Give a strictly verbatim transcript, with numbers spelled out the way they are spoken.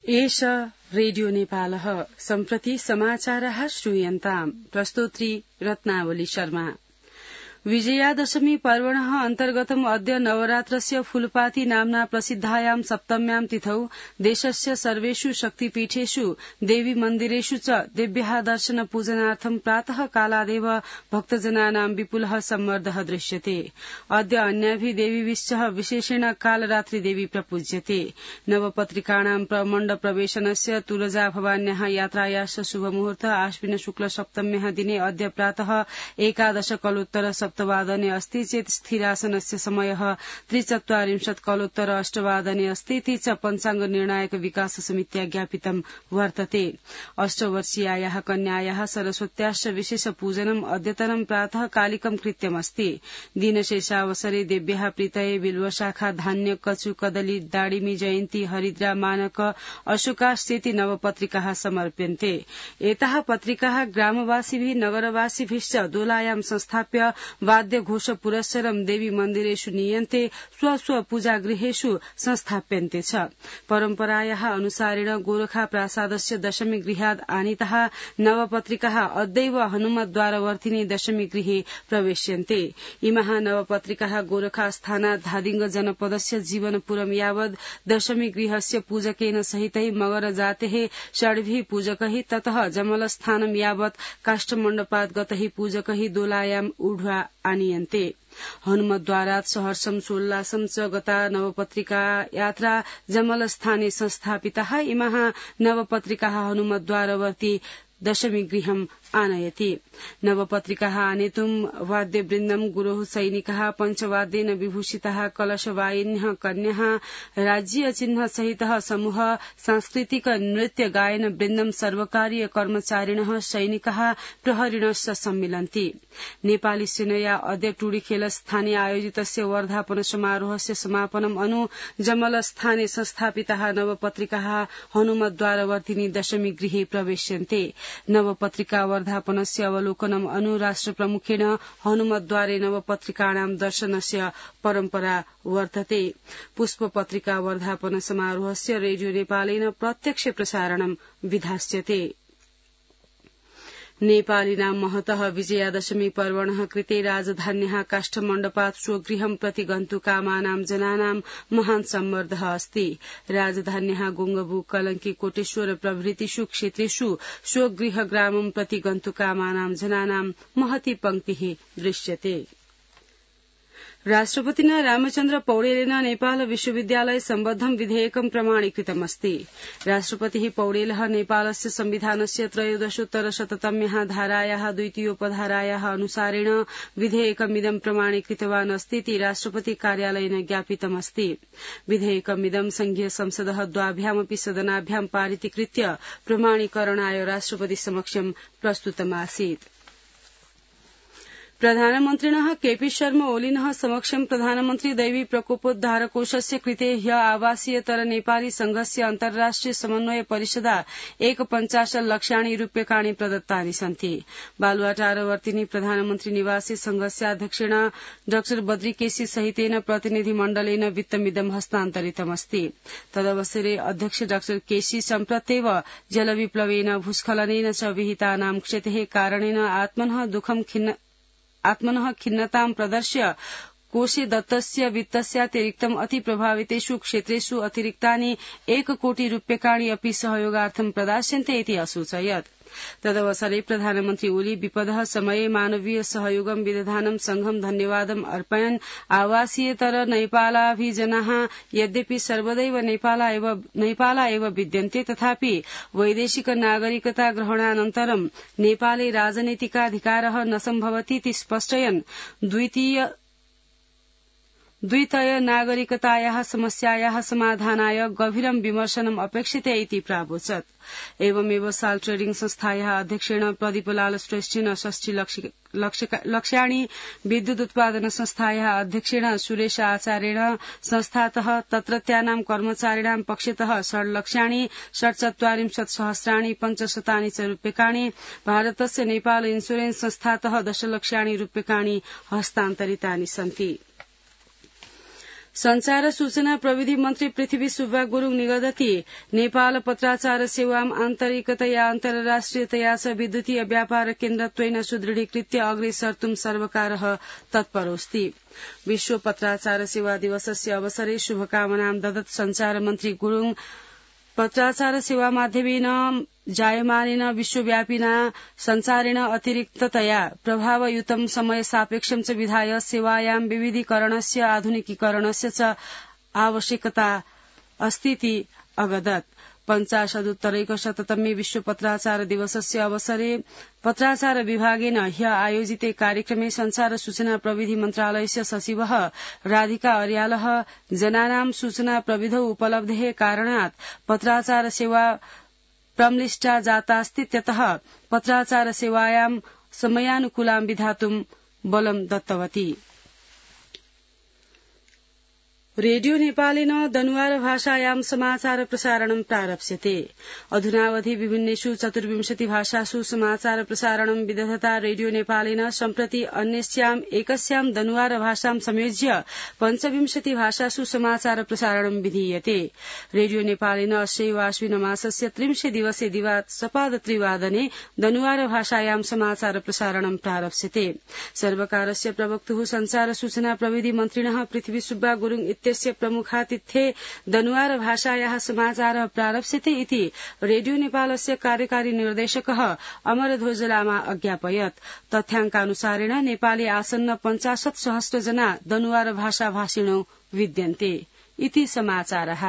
एष रेडियो नेपालः सम्प्रति समाचारः श्रूयन्ताम् प्रस्तोत्री रत्नावली शर्मा। विजयादशमी पर्वणः अन्तर्गतम् अद्य नवरात्रस्य फूलपाती नाम्ना प्रसिद्धायां सप्तम्यां तिथौ देशस्य सर्वेषु शक्तिपीठेषु देवी मन्दिरेषु च देव्याः दर्शन पूजनार्थं प्रातः कालादेव भक्तजनानां विपुलः सम्मर्दः दृश्यते। अद्य अन्याभिः देवीभिश्च विशेषेण कालरात्रि देवी प्रपूज्यते। नवपत्रिकाणां प्रमण्ड प्रवेशनस्य तुलजा भवान्याः यात्रायाश्च शुभमुहूर्त आश्विन शुक्ल सप्तम्याः दिने अद्य प्रातः एकादश कलोत्तर सप्तवादने अस्ति चेत् स्थिरासनस्य समयः त्रिचत्वारिंशत् कलोत्तर अष्टवादने अस्ति इति च पञ्चाङ्ग निर्णायक विकास समित्या ज्ञापितं वर्तते। अष्टवर्षीयायाः कन्यायाः सरस्वत्याश्च विशेष पूजनम् अद्यतनं प्रातः कालिकं कृत्यमस्ति। दिनशेषावसरे देव्याः प्रीतये बिल्वशाखा धान्य कचु कदली दाडिमी जयन्ती हरिद्रा मानक अशोकाश्चेति नवपत्रिकाः समर्प्यन्ते। एताः पत्रिकाः ग्रामवासिभिः नगरवासिभिश्च दोलायां संस्थाप्य वाद्य घोष पुरस्सरं देवी मन्दिरेषु नीयन्ते स्व स्व पूजागृहेषु संस्थाप्यन्ते च। परम्परायाः अनुसारेण गोरखा प्रासादस्य दशमी गृहात् आनीताः नवपत्रिकाः अद्यैव हनुमद्वारवर्तिनी दशमी गृहे प्रवेश्यन्ते। इमाः नवपत्रिकाः गोरखास्थानात् धादिङ्ग जनपदस्य जीवनपुरं यावत् दशमी गृहस्य पूजकेन सहितै मगर जातेः षड्भिः पूजकैः ततः जमलस्थानं यावत् काष्ठमण्डपात् गतैः पूजकैः दोलायाम् ऊढ्वा आनीयन्ते। हनुमद्वारात् सहर्षं सोल्लासं च गता नवपत्रिका यात्रा जमलस्थाने संस्थापिताः इमाः नवपत्रिकाः हनुमद्वारवर्ती दशमी गृहम् आनयति। नवपत्रिकाः आनेतुं वाद्यवृन्दं गुरोः सैनिकाः पञ्चवाद्येन विभूषिताः कलशवायिन्यः कन्याः राज्यचिह्न सहितः समूह सांस्कृतिक नृत्य गायन वृन्दं सर्वकारीय कर्मचारिणः सैनिकाः प्रहरिणश्च सम्मिलन्ति। नेपाली सेनया अद्य टुडीखेल स्थाने आयोजितस्य वर्धापन समारोहस्य समापनम् अनु जमलस्थाने संस्थापिताः नवपत्रिकाः हनुमद्वारवर्तिनी दशमी गृहे प्रवेश्यन्ते। नवपत्रिका वर्धापनस्य अवलोकनम् अनु राष्ट्रप्रमुखेण हनुमद्वारे नवपत्रिकाणां दर्शनस्य परम्परा वर्तते। पुष्पपत्रिका वर्धापन समारोहस्य रेडियो नेपालेन प्रत्यक्ष प्रसारणं विधास्यते। नेपालिनां महतः विजयादशमी पर्वणः कृते राजधान्याः काष्ठमण्डपात् स्वगृहं प्रति गन्तुकामानां जनानां महान् सम्मर्दः अस्ति। राजधान्याः गोङ्गबु कलंकी कोटेश्वर प्रभृतिषु क्षेत्रेषु स्वगृह ग्रामं प्रति गन्तुकामानां जनानां महती पंक्तिः दृश्यते। राष्ट्रपतिना रामचन्द्र पौडेलेन नेपाल विश्वविद्यालय सम्बद्धं विधेयकं प्रमाणीकृतमस्ति। राष्ट्रपतिः पौडेलः नेपालस्य संविधानस्य त्रयोदशोत्तर शततम्याः धारायाः द्वितीयोपधारायाः अनुसारेण विधेयकमिदं प्रमाणीकृतवान् अस्ति इति राष्ट्रपति कार्यालयेन ज्ञापितमस्ति। विधेयकमिदं संघीय संसदः द्वाभ्यामपि सदनाभ्यां पारितीकृत्य प्रमाणीकरणाय राष्ट्रपति समक्षं प्रस्तुतमासीत्। प्रधानमन्त्रिणः केपी शर्मा ओलिनः समक्षं प्रधानमन्त्री दैवी प्रकोपोद्धारकोषस्य कृते ह्य आवासीयतर नेपाली संघस्य अन्तर्राष्ट्रिय समन्वय परिषदा एकपञ्चाशत् लक्षाणि रूप्यकाणि प्रदत्तानि सन्ति। बालुवाटारवर्तिनी प्रधानमन्त्री निवासे संघस्याध्यक्षेण डॉ बद्री केसी सहितेन प्रतिनिधिमण्डलेन वित्तमिदं हस्तान्तरितमस्ति। तदवसरे अध्यक्ष डॉ केसी सम्प्रत्येव जलविप्लवेन भूस्खलनेन च विहितानां क्षतेः कारणेन आत्मनः दुःखं खिन्न आत्मनः खिन्नतां प्रदर्श्य कोषे दत्तस्य वित्तस्यातिरिक्तम् अतिप्रभावितेषु क्षेत्रेषु अतिरिक्तानि एक कोटि रूप्यकाणि अपि सहयोगार्थं प्रदास्यन्ते इति असूचयत्। तदवसरे प्रधानमन्त्री ओली विपदः समये मानवीय सहयोगं विदधानं संघं धन्यवादम् अर्पयन् आवासीयतर नेपालाभिजनाः यद्यपि सर्वदैव नेपाला एव नेपाला एव विद्यन्ते तथापि वैदेशिक नागरिकता ग्रहणानन्तरं नेपाले राजनैतिकाधिकारः न सम्भवति इति स्पष्टयन् द्वितीय द्वितय नागरिकतायाः समस्यायाः समाधानाय गभीरं विमर्शनम् अपेक्षिते इति प्रावोचत्। एवमेव साल ट्रेडिंग संस्थायाः अध्यक्षेण प्रदीपलाल श्रेष्ठेन षष्ठी लक्ष्याणि विद्युत उत्पादन संस्थायाः अध्यक्षेण सुरेश आचार्येण संस्थातः तत्रत्यानां कर्मचारिणां पक्षतः षड् लक्ष्याणि षट्चत्वारिंशत् सहस्राणि पञ्चशतानि च रूप्यकाणि भारतस्य नेपाल इन्शुरेन्स संस्थातः दशलक्ष्याणि रूप्यकाणि हस्तान्तरितानि सन्ति। संचार सूचना प्रविधि मन्त्री पृथ्वी सुब्बा गुरूङ निगदति नेपाल पत्राचार सेवाम आन्तरिकतया अन्तर्राष्ट्रियतया च विद्युतीय व्यापार केन्द्रत्वेन सुदृढीकृत्य अग्रेसर्तुं सर्वकारः तत्परोऽस्ति। विश्व पत्राचार सेवा दिवसस्य अवसरे शुभकामनां ददत् संचार मन्त्री गुरूङ पत्राचार सेवा माध्यमेन जायमानेन विश्वव्यापिना संचारेण अतिरिक्ततया प्रभावयुतं समय सापेक्षं च विधाय सेवायां विविधीकरणस्य आधुनिकीकरणस्य च आवश्यकता अस्तीति अगदत्। पञ्चाशदुत्तरैकशततमे विश्व पत्राचार दिवसस्य अवसरे पत्राचार विभागेन ह्य आयोजिते कार्यक्रमे संचार सूचना प्रविधि मन्त्रालयस्य सचिवः राधिका अर्यालः जनानां सूचना प्रविधौ उपलब्धेः कारणात् पत्राचार सेवा प्रम्लिष्टा जातास्तीत्यतः पत्राचार सेवायां समयानुकूलां विधातुं बलं दत्तवती। रेडियो नेपालेन दनुवार भाषायां समाचार प्रसारणं प्रारप्स्यते। अधुनावधि विभिन्नेषु चतुर्विंशति भाषासु समाचार प्रसारणं विदधता रेडियो नेपालेन सम्प्रति अन्यस्याम् एकस्यां दनुवार भाषां संयोज्य पञ्चविंशति भाषासु समाचार प्रसारणं विधीयते। रेडियो नेपालेन अस्यैव आश्विन मासस्य त्रिंशे दिवसे दिवात् सपादत्रिवादने दनुवार भाषायां समाचार प्रसारणं प्रारप्स्यते। सर्वकारस्य प्रवक्तुः संचार सूचना प्रविधि मन्त्रिणः पृथ्वी सुब्बा गुरूङ इत्यस्य प्रमुखातिथ्ये दनुवार भाषायाः समाचारः प्रारप्स्यते इति रेडियो नेपालस्य कार्यकारी निर्देशकः अमरध्वज लामा अज्ञापयत्। तथ्याङ्कानुसारेण नेपाले आसन्न पञ्चाशत् सहस्र जना दनुवार भाषा भाषिणो विद्यन्ते इति समाचारः।